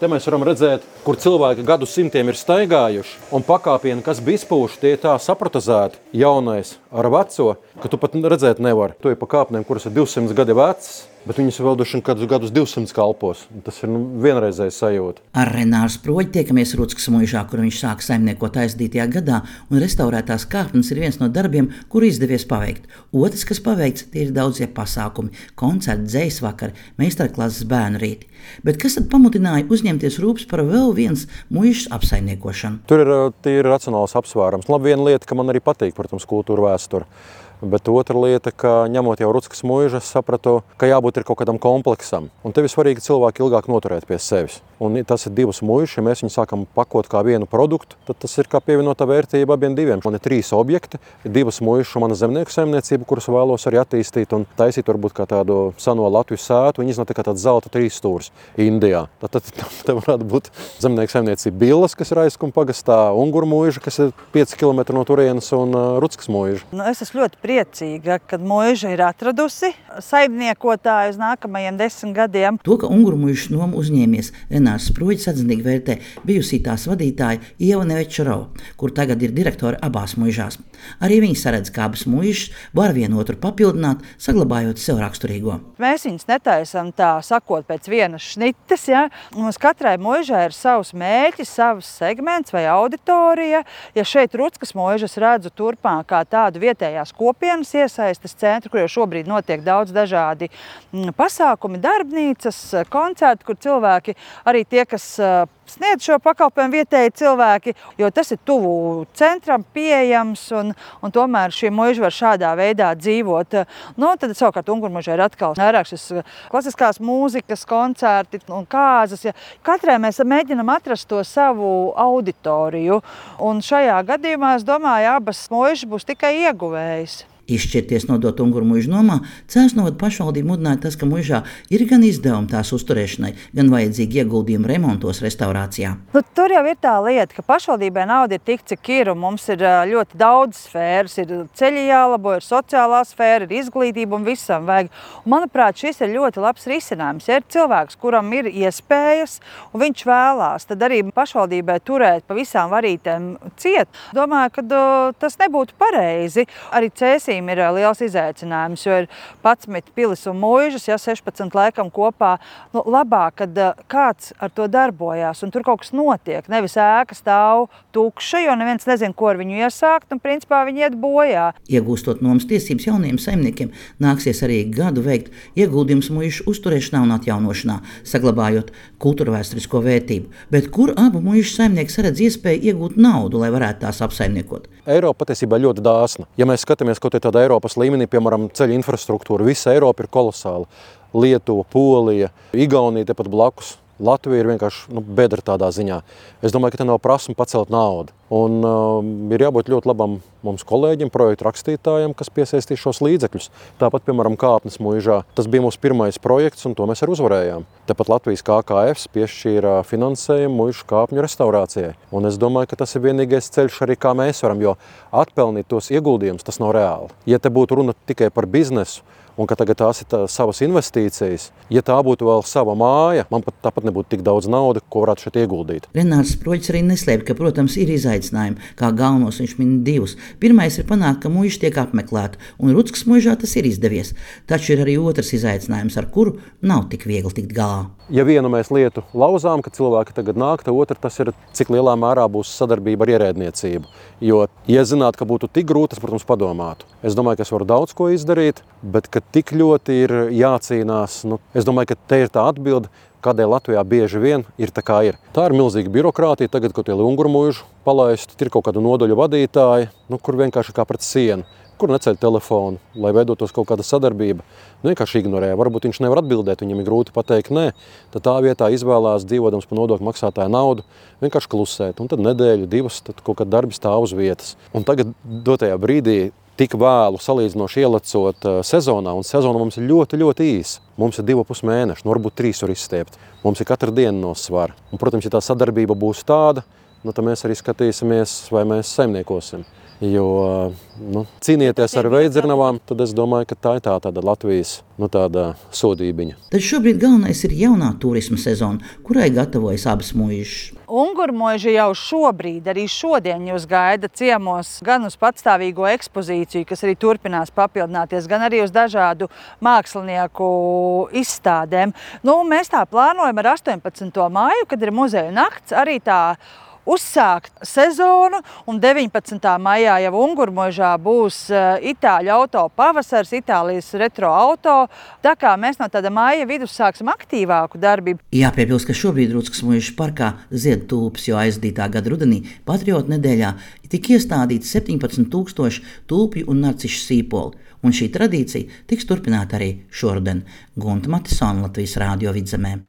Te mēs varam redzēt, kur cilvēki gadu simtiem ir staigājuši, un pakāpieni, kas bija izpūši, tie tā saprotezēti, jaunais ar veco, ka tu pat redzēt nevar. Tu ir pa kāpnēm, kuras ir 200 gadi vecas, bet viņas vēl duši kādus gadus 200 kalpos. Tas ir vienreizēja sajūta. Ar Renāru Sproģi tiekamies Ruckas muižā, kur viņš sāka saimniekot aizdītajā gadā, un restaurētās kāpnes ir viens no darbiem, kuru izdevies paveikt. Otrs, kas paveikts, tie ir daudzie pasākumi, koncerti, dzejas vakari, meistarklases bērnu rīti. Bet kas tad pamudināja uzņemties rūpes par vēl viens muižas apsaimniekošanu? Tur ir tīri racionāls apsvērums. Labi, viena lieta, ka man arī patīk, protams, kultūra vēsture. Bet otra lieta, ka ņemot jau Ruckas muižu, es sapratu, ka jābūt ir kaut kādam kompleksam. Un tev ir svarīgi cilvēki ilgāk noturēt pie sevis. Un tas ir divas muižas, ja mēs viņu sākam pakot kā vienu produktu, tad tas ir kā pievienotā vērtība abiem diviem. Man ir 3 objekti, divas muižas un mana zemnieku saimniecība, kuras vēlos arī attīstīt un taisīt varbūt kā tādu seno Latvijas sētu. Viņi iznāk kā tāds zelta 3 stūris Indijā. Tad te varētu būt zemnieku saimniecība Billas, kas ir Aizkuma pagastā, Unguru muiža, kas ir 5 km no turienes, un Ruckas muiža. Es esmu ļoti priecīga, kad muiža ir atradusi saimniekotāju uz nākamajiem 10 gadiem. To, ka Unguru muižas nomu uzņēmies Renārs Sproģis, atzinīgi vērtē bijusī tās vadītāja Ieva Nevečarova, kur tagad ir direktore abās muižās. Arī viņi saredz, ka abas muižas var vienotru papildināt, saglabājot sev raksturīgo. Mēs viņus netaisam tā sakot pēc vienas šnites, ja? Mums katrai muižai ir savs mērķis, savs segments vai auditorija. Ja šeit Ruckas muižas redzu turpmāk kā tādu vietējās kopienas iesaistes centru, kur jau šobrīd notiek daudz dažādi pasākumi, darbnīcas, koncerti, kur cilvēki, arī tie, kas sniedz šo pakalpojumu vietēji cilvēki, jo tas ir tuvu centram pieejams un tomēr šī muiža var šādā veidā dzīvot. Tad savukārt Unguru muižā ir atkal vairāk šis klasiskās mūzikas koncerti un kāzas. Ja. Katrai mēs mēģinam atrast to savu auditoriju, un šajā gadījumā, es domāju, abas muižas būs tikai ieguvējis. Izšķirties nodot Unguru muižu nomā, Cēsu novada pašvaldība mudināja tas, ka muižā ir gan izdevumi tās uzturēšanai, gan vajadzīgi ieguldījumi remontos, restaurācijā. Tur jau ir tā lieta, ka pašvaldībai nauda ir tik, cik ir, un mums ir ļoti daudz sfēras. Ir ceļi jālabo, ir sociālā sfēra, ir izglītība un visam vajag. Un, manuprāt, šis ir ļoti labs risinājums. Ja ir cilvēks, kuram ir iespējas, un viņš vēlās, tad arī pašvaldībai turēt pa visām varītēm ciet. Domāju, ka tas nebūtu pareizi. Arī Cēsī ir liels izaicinājums, jo ir 11 pilis un muižas, 16 laikam kopā. Labāk, kad kāds ar to darbojās un tur kaut kas notiek. Nevis ēka stāv tukša, jo neviens nezin, ko ar viņu iesākt, un principā viņi iet bojā. Iegūstot nomas tiesības jauniem saimniekiem, nāksies arī gadu veikt ieguldījums muižu uzturēšanā un atjaunošanā, saglabājot kultūrvēsturisko vērtību. Bet kur abu muižu saimnieki saredz iespēju iegūt naudu, lai varētu tās apsaimniekot? Eiropa patiesībā ļoti dāsna. Ja mēs skatāmies kaut tādā Eiropas līmenī, piemēram, ceļu infrastruktūra, visa Eiropa ir kolosāla. Lietuva, Polija, Igaunija tepat blakus. Latvija ir vienkārši bedra tādā ziņā. Es domāju, ka te nav prasme pacelt naudu. Un ir jābūt ļoti labam mums kolēģim, projektu rakstītājiem, kas piesaistīs šos līdzekļus. Tāpat, piemēram, Kāpnes muižā. Tas bija mūsu pirmais projekts, un to mēs arī uzvarējām. Tāpat Latvijas KKF piešķīra finansējumu muižu kāpņu restaurācijai. Un es domāju, ka tas ir vienīgais ceļš arī, kā mēs varam, jo atpelnīt tos ieguldījumus, tas nav reāli. Ja te būtu runa tikai par biznesu, un ka tagad tās ir savas investīcijas, ja tā būtu vēl sava māja, man pat tāpat nebūtu tik daudz naudas, ko varētu šeit ieguldīt. Renārs Sproģis arī neslēpj, ka, protams, ir izaicinājumi, kā galvenos viņš min 2. Pirmais ir panākt, ka muiža tiek apmeklēta, un Ruckas muižā tas ir izdevies. Taču ir arī otrs izaicinājums, ar kuru nav tik viegli tikt galā. Ja vienu mēs lietu lauzām, ka cilvēki tagad nāk, tad otra tas ir, cik lielā mērā būs sadarbība ar ierēdniecību. Jo, ja zinātu, ka būtu tik grūti, es, protams, padomātu. Es domāju, ka es varu daudz ko izdarīt, bet ka tik ļoti ir jācīnās, es domāju, ka te ir tā atbilde, kādēļ Latvijā bieži vien ir tā kā ir. Tā ir milzīga birokrātija, tagad, kad tie Unguru muižu palaistu, ir kaut kāda nodaļu vadītāji, kur vienkārši kā pret sienu, kur neceļ telefonu, lai veidotos kaut kāda sadarbība. Vienkārši ignorē, varbūt viņš nevar atbildēt, viņam ir grūti pateikt nē, tad tā vietā izvēlās, dzīvodams par nodokļu maksātāju naudu, vienkārši klusēt, un tad nedēļu, 2, tad kaut kāda darbi stāv uz vietas. Un tagad dotajā brīdī tik vēlu salīdzinoši ielecot sezonā, un sezona mums ir ļoti, ļoti īsa. Mums ir 2,5 mēneši, varbūt 3 var izstiept. Mums ir katra diena no svara. Un, protams, ja tā sadarbība būs tāda, tad mēs arī skatīsimies, vai mēs saimniekosim. Jo cīnieties ar veidzirnavām, tad es domāju, ka tā ir tāda Latvijas tāda sodībiņa. Tad šobrīd galvenais ir jaunā turisma sezona, kurai gatavojas abas muižas. Ungurmuiža jau šobrīd, arī šodien jūs gaida ciemos gan uz patstāvīgo ekspozīciju, kas arī turpinās papildināties, gan arī uz dažādu mākslinieku izstādēm. Mēs tā plānojam ar 18. māju, kad ir muzeja nakts, arī tā uzsākt sezonu, un 19. maijā jau Ungurmuižā būs Itāļu auto pavasars, Itālijas retro auto. Tā kā mēs no tāda maija vidus sāksim aktīvāku darbību. Jāpiebilst, ka šobrīd Ruckas muižas parkā zied tulpes, jo aizdītā gada rudenī Patriotu nedēļā tika iestādīti 17,000 tulpju un narcišu sīpoli, un šī tradīcija tiks turpināta arī šoruden. Gunta Matisona, Latvijas Rādio Vidzemē.